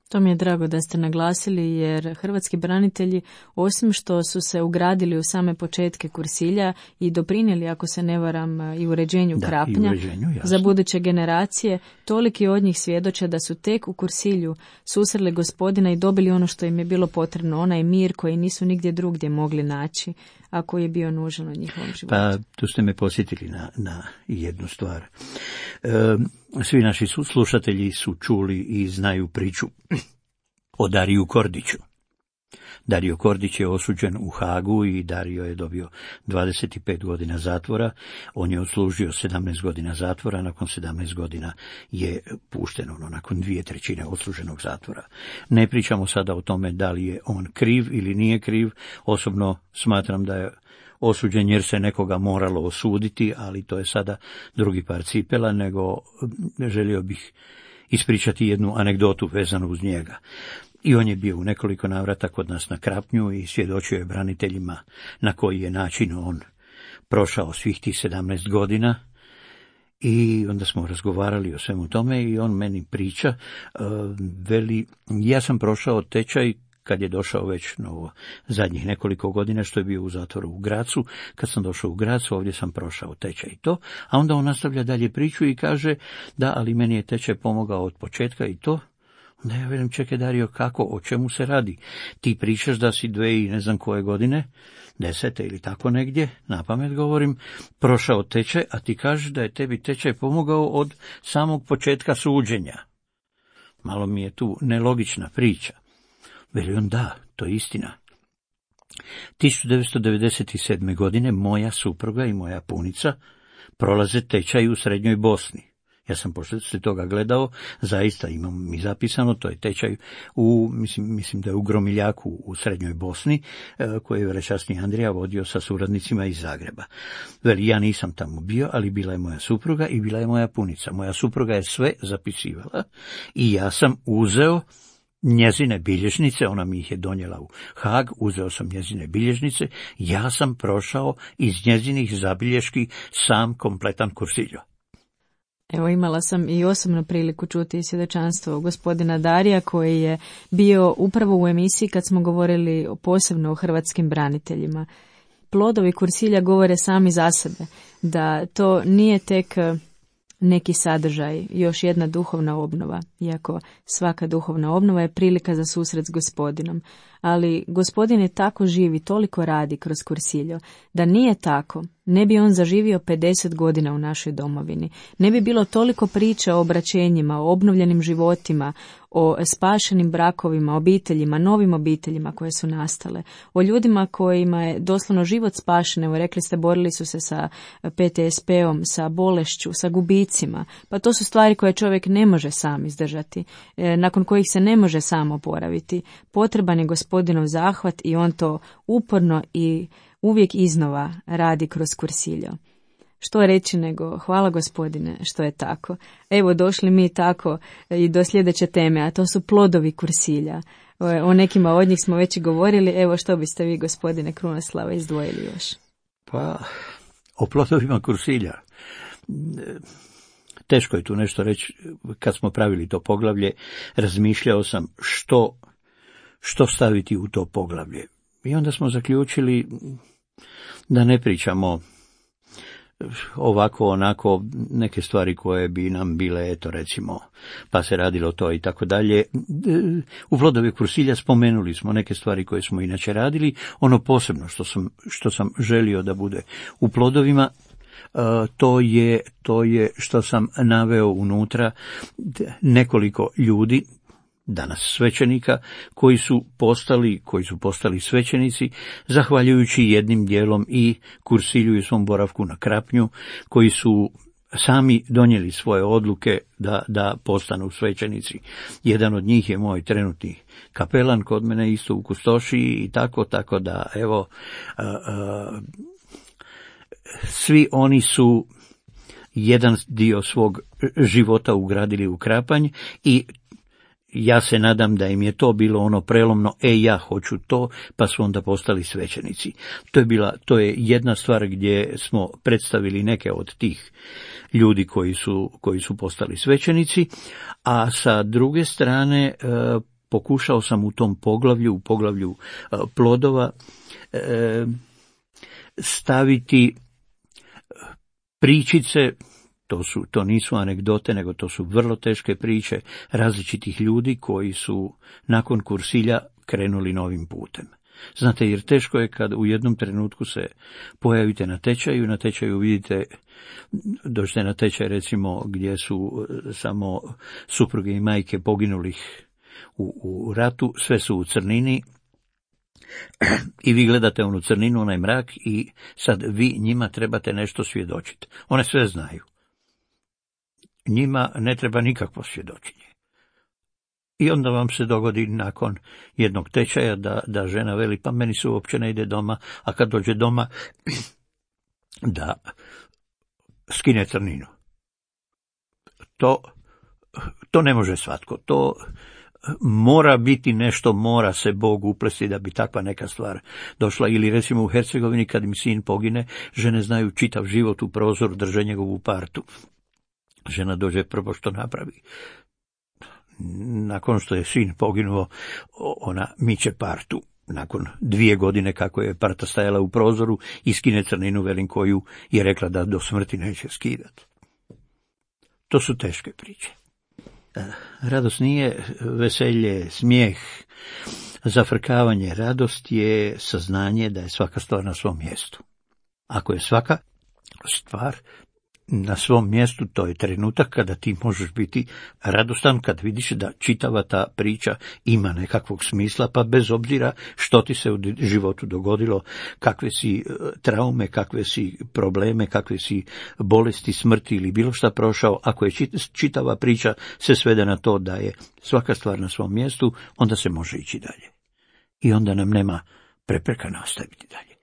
To mi je drago da ste naglasili, jer hrvatski branitelji, osim što su se ugradili u same početke Kursilja i doprinijeli, ako se ne varam, i uređenju da, Krapnja i uređenju, za buduće generacije, toliki od njih svjedoče da su tek u Kursilju susreli Gospodina i dobili ono što im je bilo potrebno, onaj mir koji nisu nigdje drugdje mogli naći, a koji je bio nužan u njihovom životu. Pa tu ste me posjetili na, na jednu stvar. E, svi naši slušatelji su čuli i znaju priču o Dariju Kordiću. Dario Kordić je osuđen u Hagu i Dario je dobio dvadeset pet godina zatvora. On je odslužio sedamnaest godina zatvora, nakon sedamnaest godina je pušten, ono, nakon dvije trećine odsluženog zatvora. Ne pričamo sada o tome da li je on kriv ili nije kriv. Osobno smatram da je osuđen jer se nekoga moralo osuditi, ali to je sada drugi par cipela, nego želio bih ispričati jednu anegdotu vezanu uz njega. I on je bio u nekoliko navrata kod nas na Krapnju i svjedočio je braniteljima na koji je način on prošao svih tih sedamnaest godina. I onda smo razgovarali o svemu tome i on meni priča, uh, veli, ja sam prošao tečaj kad je došao već novo zadnjih nekoliko godina, što je bio u zatvoru u Gracu. Kad sam došao u Gracu, ovdje sam prošao tečaj i to, a onda on nastavlja dalje priču i kaže, da, ali meni je tečaj pomogao od početka i to. Onda ja velim, čekaj Dario, kako, o čemu se radi? Ti pričaš da si dve i ne znam koje godine, desete ili tako negdje, napamet govorim, prošao tečaj, a ti kažeš da je tebi tečaj pomogao od samog početka suđenja. Malo mi je tu nelogična priča. Veli on, da, to je istina. tisuću devetsto devedeset sedme. godine moja supruga i moja punica prolaze tečaj u Srednjoj Bosni. Ja sam poslije toga gledao, zaista imam mi zapisano, to je tečaj u, mislim, mislim da je u Gromiljaku u Srednjoj Bosni, koji je velečasni Andrija vodio sa suradnicima iz Zagreba. Veli, ja nisam tamo bio, ali bila je moja supruga i bila je moja punica. Moja supruga je sve zapisivala i ja sam uzeo njezine bilježnice, ona mi ih je donijela u Hag, uzeo sam njezine bilježnice, ja sam prošao iz njezinih zabilješki sam kompletan Kursiljo. Evo, imala sam i osobno priliku čuti svjedočanstvo gospodina Darija, koji je bio upravo u emisiji kad smo govorili posebno o hrvatskim braniteljima. Plodovi Kursilja govore sami za sebe, da to nije tek neki sadržaj, još jedna duhovna obnova, iako svaka duhovna obnova je prilika za susret s Gospodinom. Ali Gospodin je tako živ i toliko radi kroz Kursiljo, da nije tako, ne bi on zaživio pedeset godina u našoj domovini. Ne bi bilo toliko priča o obraćenjima, o obnovljenim životima, o spašenim brakovima, obiteljima, novim obiteljima koje su nastale, o ljudima kojima je doslovno život spašen. Evo, rekli ste, borili su se sa P T S P-om, sa bolešću, sa gubicima. Pa to su stvari koje čovjek ne može sam izdržati, nakon kojih se ne može sam oporaviti. Potreban je Gospodinov zahvat i on to uporno i uvijek iznova radi kroz Kursiljo. Što reći nego hvala Gospodine što je tako. Evo, došli mi tako i do sljedeće teme, a to su plodovi Kursilja. O nekima od njih smo već i govorili. Evo što biste vi, gospodine Krunoslava, izdvojili još? Pa, o plodovima kursilja. Teško je tu nešto reći. Kad smo pravili to poglavlje, razmišljao sam što, što staviti u to poglavlje. I onda smo zaključili da ne pričamo ovako, onako, neke stvari koje bi nam bile, eto recimo, pa se radilo to i tako dalje. U Plodovi kursilja spomenuli smo neke stvari koje smo inače radili. Ono posebno što sam, što sam želio da bude u Plodovima, to je, to je što sam naveo unutra nekoliko ljudi, danas svećenika, koji su postali, koji su postali svećenici, zahvaljujući jednim dijelom i kursilju i svom boravku na Krapnju, koji su sami donijeli svoje odluke da, da postanu svećenici. Jedan od njih je moj trenutni kapelan kod mene isto u Kustošiji i tako, tako da, evo, a, a, svi oni su jedan dio svog života ugradili u Krapanj i ja se nadam da im je to bilo ono prelomno, e ja hoću to, pa su onda postali svećenici. To je bila, to je jedna stvar gdje smo predstavili neke od tih ljudi koji su, koji su postali svećenici, a sa druge strane e, pokušao sam u tom poglavlju, u poglavlju e, plodova, e, staviti pričice. To, su, to nisu anegdote, nego to su vrlo teške priče različitih ljudi koji su nakon kursilja krenuli novim putem. Znate, jer teško je kad u jednom trenutku se pojavite na tečaju, na tečaju vidite, dođete na tečaj recimo gdje su samo supruge i majke poginulih u, u ratu, sve su u crnini, i vi gledate onu crninu, onaj mrak, i sad vi njima trebate nešto svjedočiti. One sve znaju. Njima ne treba nikakvo svjedočenje. I onda vam se dogodi nakon jednog tečaja da, da žena veli, pa meni se uopće ne ide doma, a kad dođe doma da skine crninu. To, to ne može svatko. To mora biti nešto, mora se Bog uplesti da bi takva neka stvar došla. Ili recimo u Hercegovini kad mi sin pogine, žene znaju čitav život u prozoru, drže njegovu partu. Žena dođe prvo što napravi. Nakon što je sin poginuo, ona miče partu. Nakon dvije godine kako je parta stajala u prozoru, i skine crninu, velim, koju je rekla da do smrti neće skidati. To su teške priče. Radost nije veselje, smijeh, zafrkavanje. Radost je saznanje da je svaka stvar na svom mjestu. Ako je svaka stvar na svom mjestu, to je trenutak kada ti možeš biti radostan, kad vidiš da čitava ta priča ima nekakvog smisla, pa bez obzira što ti se u životu dogodilo, kakve si traume, kakve si probleme, kakve si bolesti, smrti ili bilo šta prošao, ako je čitava priča se svede na to da je svaka stvar na svom mjestu, onda se može ići dalje. I onda nam nema prepreka nastaviti dalje.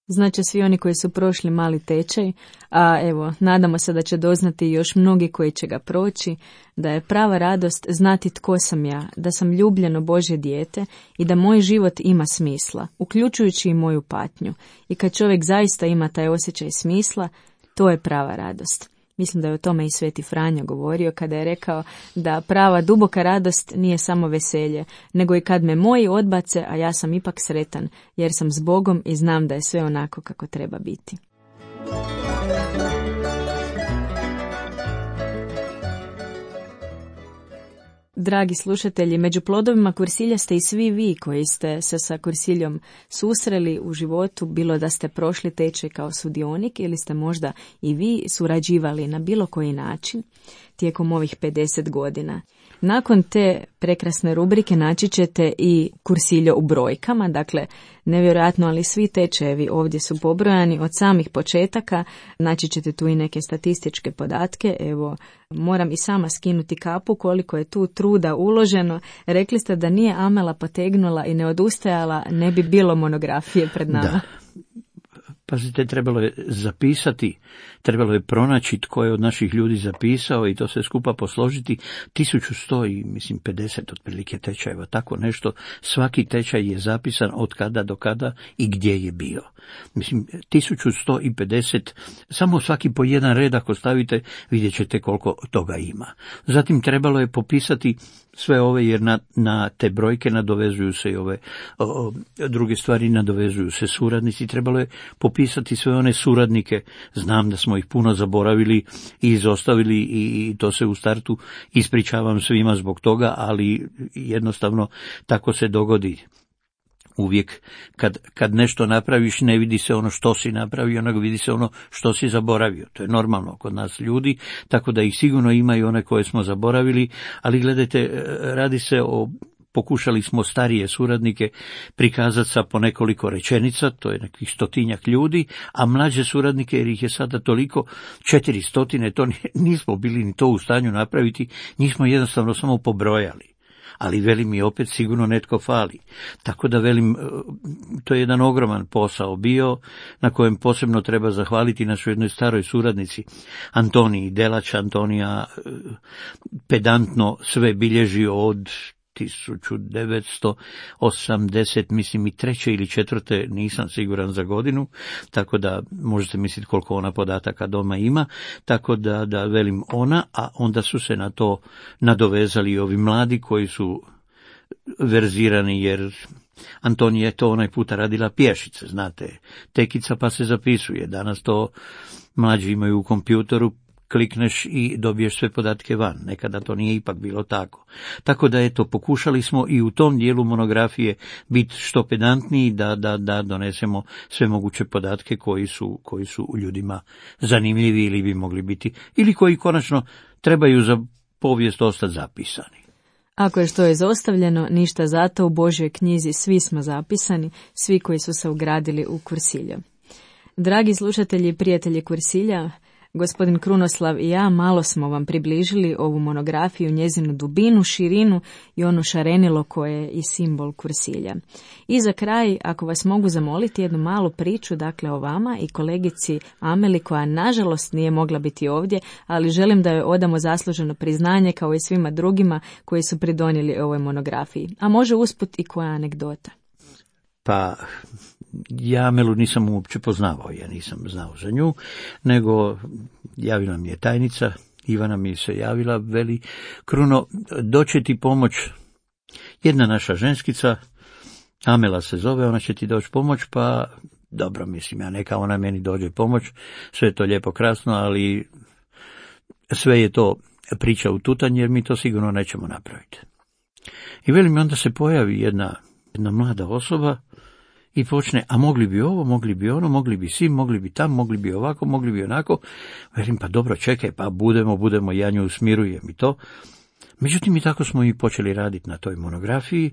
Znači svi oni koji su prošli mali tečaj, a evo, nadamo se da će doznati još mnogi koji će ga proći, da je prava radost znati tko sam ja, da sam ljubljeno Božje dijete i da moj život ima smisla, uključujući i moju patnju. I kad čovjek zaista ima taj osjećaj smisla, to je prava radost. Mislim da je o tome i Sveti Franjo govorio kada je rekao da prava duboka radost nije samo veselje, nego i kad me moji odbace, a ja sam ipak sretan, jer sam s Bogom i znam da je sve onako kako treba biti. Dragi slušatelji, među plodovima kursilja ste i svi vi koji ste se sa kursiljom susreli u životu, bilo da ste prošli tečaj kao sudionik ili ste možda i vi surađivali na bilo koji način tijekom ovih pedeset godina. Nakon te prekrasne rubrike naći ćete i kursiljo u brojkama, dakle nevjerojatno, ali svi tečajevi ovdje su pobrojani od samih početaka, naći ćete tu i neke statističke podatke. Evo, moram i sama skinuti kapu koliko je tu truda uloženo. Rekli ste da nije Amela potegnula i ne odustajala, ne bi bilo monografije pred nama. Da. Pazite, trebalo je zapisati, trebalo je pronaći tko je od naših ljudi zapisao i to sve skupa posložiti. tisuću sto i mislim pedeset otprilike tečajeva, tako nešto. Svaki tečaj je zapisan od kada do kada i gdje je bio. Mislim, tisuću sto pedeset, samo svaki po jedan red ako stavite, vidjet ćete koliko toga ima. Zatim trebalo je popisati sve ove, jer na, na te brojke nadovezuju se i ove o, o, druge stvari, nadovezuju se suradnici. Trebalo je popisati sve one suradnike. Znam da smo ih puno zaboravili i izostavili i, i to se u startu ispričavam svima zbog toga, ali jednostavno tako se dogodi. Uvijek kad, kad nešto napraviš ne vidi se ono što si napravio, nego vidi se ono što si zaboravio. To je normalno kod nas ljudi, tako da ih sigurno ima i one koje smo zaboravili, ali gledajte, radi se o, pokušali smo starije suradnike prikazati sa po nekoliko rečenica, to je nekih stotinjak ljudi, a mlađe suradnike, jer ih je sada toliko, četiri stotine, to nismo bili ni to u stanju napraviti, njih smo jednostavno samo pobrojali. Ali velim mi opet sigurno netko fali. Tako da velim, to je jedan ogroman posao bio, na kojem posebno treba zahvaliti našoj jednoj staroj suradnici, Antoniji Delač. Antonija pedantno sve bilježi od tisuću devetsto osamdeset, mislim i treće ili četvrte, nisam siguran za godinu, tako da možete misliti koliko ona podataka doma ima, tako da, da velim ona, a onda su se na to nadovezali i ovi mladi koji su verzirani, jer Antonija je to onaj puta radila pješice, znate, tekica pa se zapisuje, danas to mlađi imaju u kompjutoru, klikneš i dobiješ sve podatke van. Nekada to nije ipak bilo tako. Tako da eto, pokušali smo i u tom dijelu monografije biti što pedantniji, da, da, da donesemo sve moguće podatke koji su, koji su u ljudima zanimljivi ili bi mogli biti, ili koji konačno trebaju za povijest ostati zapisani. Ako je što je izostavljeno, ništa zato, u Božjoj knjizi svi smo zapisani, svi koji su se ugradili u Kursilja. Dragi slušatelji i prijatelji Kursilja, gospodin Krunoslav i ja malo smo vam približili ovu monografiju, njezinu dubinu, širinu i ono šarenilo koje je i simbol Kursilja. I za kraj, ako vas mogu zamoliti jednu malu priču, dakle o vama i kolegici Ameli, koja nažalost nije mogla biti ovdje, ali želim da joj odamo zasluženo priznanje kao i svima drugima koji su pridonijeli ovoj monografiji. A može usput i koja anegdota. Pa, ja Amelu nisam uopće poznavao, ja nisam znao za nju, nego javila mi je tajnica, Ivana mi se javila, veli, Kruno, doće ti pomoć jedna naša ženskica, Amela se zove, ona će ti doći pomoć, pa dobro, mislim, ja neka ona meni dođe pomoć, sve je to lijepo krasno, ali sve je to priča u tutanj, jer mi to sigurno nećemo napraviti. I veli mi, onda se pojavi jedna, jedna mlada osoba, i počne, a mogli bi ovo, mogli bi ono, mogli bi sim, mogli bi tam, mogli bi ovako, mogli bi onako. Velim, pa dobro, čekaj, pa budemo, budemo, ja nju usmirujem i to. Međutim, i tako smo i počeli raditi na toj monografiji,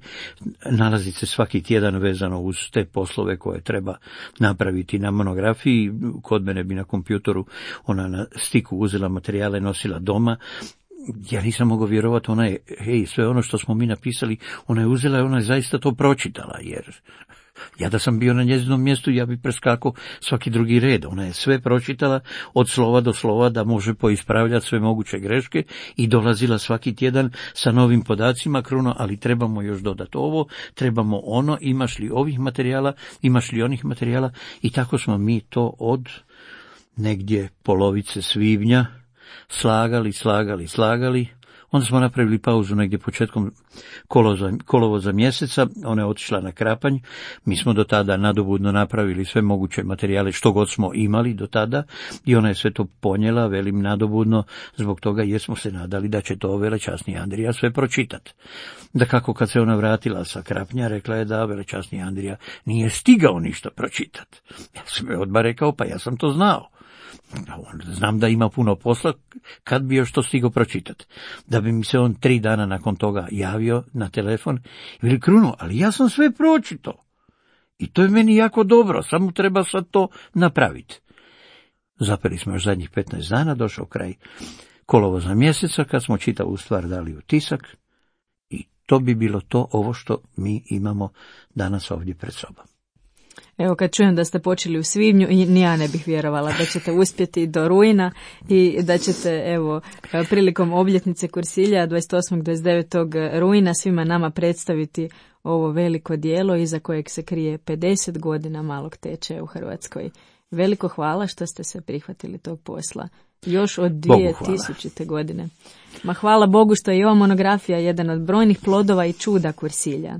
nalaziti se svaki tjedan vezano uz te poslove koje treba napraviti na monografiji. Kod mene bi na kompjutoru ona na stiku uzela materijale, nosila doma. Ja nisam mogao vjerovati, ona je, hej, sve ono što smo mi napisali, ona je uzela i ona je zaista to pročitala, jer ja da sam bio na njezinom mjestu, ja bi preskakao svaki drugi red. Ona je sve pročitala od slova do slova, da može poispravljati sve moguće greške, i dolazila svaki tjedan sa novim podacima. Kruno, ali trebamo još dodati ovo, trebamo ono, imaš li ovih materijala, imaš li onih materijala, i tako smo mi to od negdje polovice svibnja slagali, slagali, slagali. Onda smo napravili pauzu negdje početkom kolovoza, kolovoza mjeseca, ona je otišla na Krapanj, mi smo do tada nadobudno napravili sve moguće materijale što god smo imali do tada, i ona je sve to ponijela, velim nadobudno, zbog toga jer smo se nadali da će to velečasni Andrija sve pročitati. Da kako kad se ona vratila sa Krapnja, rekla je da velečasni Andrija nije stigao ništa pročitati. Ja sam joj odmah rekao, pa ja sam to znao. Znam da ima puno posla, kad bi još to stigao pročitati. Da bi mi se on tri dana nakon toga javio na telefon i veli, Kruno, ali ja sam sve pročitao. I to je meni jako dobro, samo treba sad to napraviti. Zapeli smo još zadnjih petnaest dana, došao kraj kolovoza mjeseca, kad smo čitavu stvar dali u tisak, i to bi bilo to, ovo što mi imamo danas ovdje pred sobom. Evo, kad čujem da ste počeli u svibnju, i ni ja ne bih vjerovala da ćete uspjeti do rujna i da ćete, evo, prilikom obljetnice Kursilja dvadeset osmog do dvadeset devetog rujna svima nama predstaviti ovo veliko djelo iza kojeg se krije pedeset godina malog tečaja u Hrvatskoj. Veliko hvala što ste se prihvatili tog posla. Još od dvije tisućite. godine. Ma hvala Bogu što je ova monografija jedan od brojnih plodova i čuda Kursilja.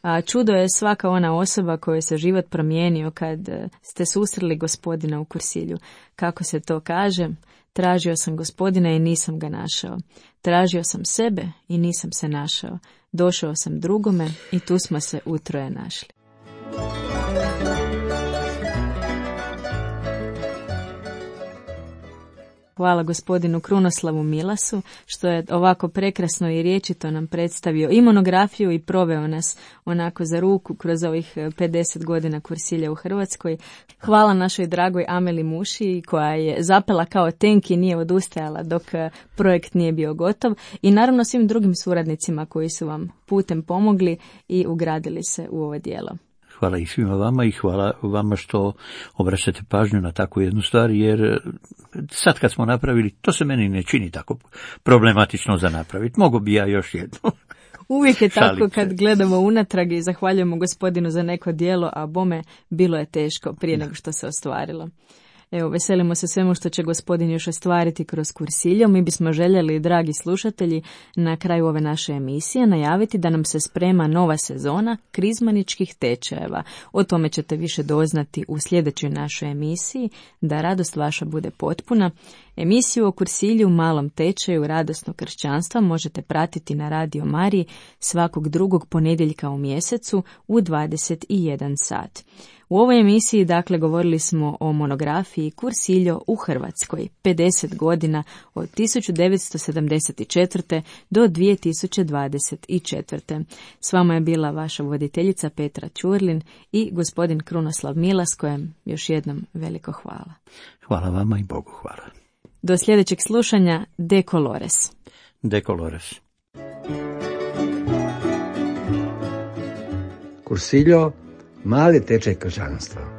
A čudo je svaka ona osoba kojoj se život promijenio kad ste susreli gospodina u Kursilju. Kako se to kaže? Tražio sam gospodina i nisam ga našao. Tražio sam sebe i nisam se našao. Došao sam drugome i tu smo se utroje našli. Hvala gospodinu Krunoslavu Milasu što je ovako prekrasno i riječito nam predstavio i monografiju i proveo nas onako za ruku kroz ovih pedeset godina Kursilja u Hrvatskoj. Hvala našoj dragoj Ameli Muši koja je zapela kao tenk i nije odustajala dok projekt nije bio gotov i naravno svim drugim suradnicima koji su vam putem pomogli i ugradili se u ovo djelo. Hvala i svima vama i hvala vama što obraćate pažnju na takvu jednu stvar, jer sad kad smo napravili, to se meni ne čini tako problematično za napraviti. Mogu bi ja još jednu. Uvijek je tako kad gledamo unatrag i zahvaljujemo gospodinu za neko djelo, a bome bilo je teško prije nego što se ostvarilo. Evo, veselimo se svemu što će gospodin još ostvariti kroz Kursiljo. Mi bismo željeli, dragi slušatelji, na kraju ove naše emisije najaviti da nam se sprema nova sezona krizmaničkih tečajeva. O tome ćete više doznati u sljedećoj našoj emisiji, da radost vaša bude potpuna. Emisiju o Kursilju, malom tečaju radosnog kršćanstva možete pratiti na Radio Mariji svakog drugog ponedjeljka u mjesecu u dvadeset jedan sat. U ovoj emisiji, dakle, govorili smo o monografiji Kursiljo u Hrvatskoj, pedeset godina od tisuću devetsto sedamdeset četvrte. do dvije tisuće dvadeset četvrte. S vama je bila vaša voditeljica Petra Ćurlin i gospodin Krunoslav Milas, kojem još jednom veliko hvala. Hvala vama i Bogu hvala. Do sljedećeg slušanja, De Colores. De Colores. Kursiljo, mali tečaj kršćanstva.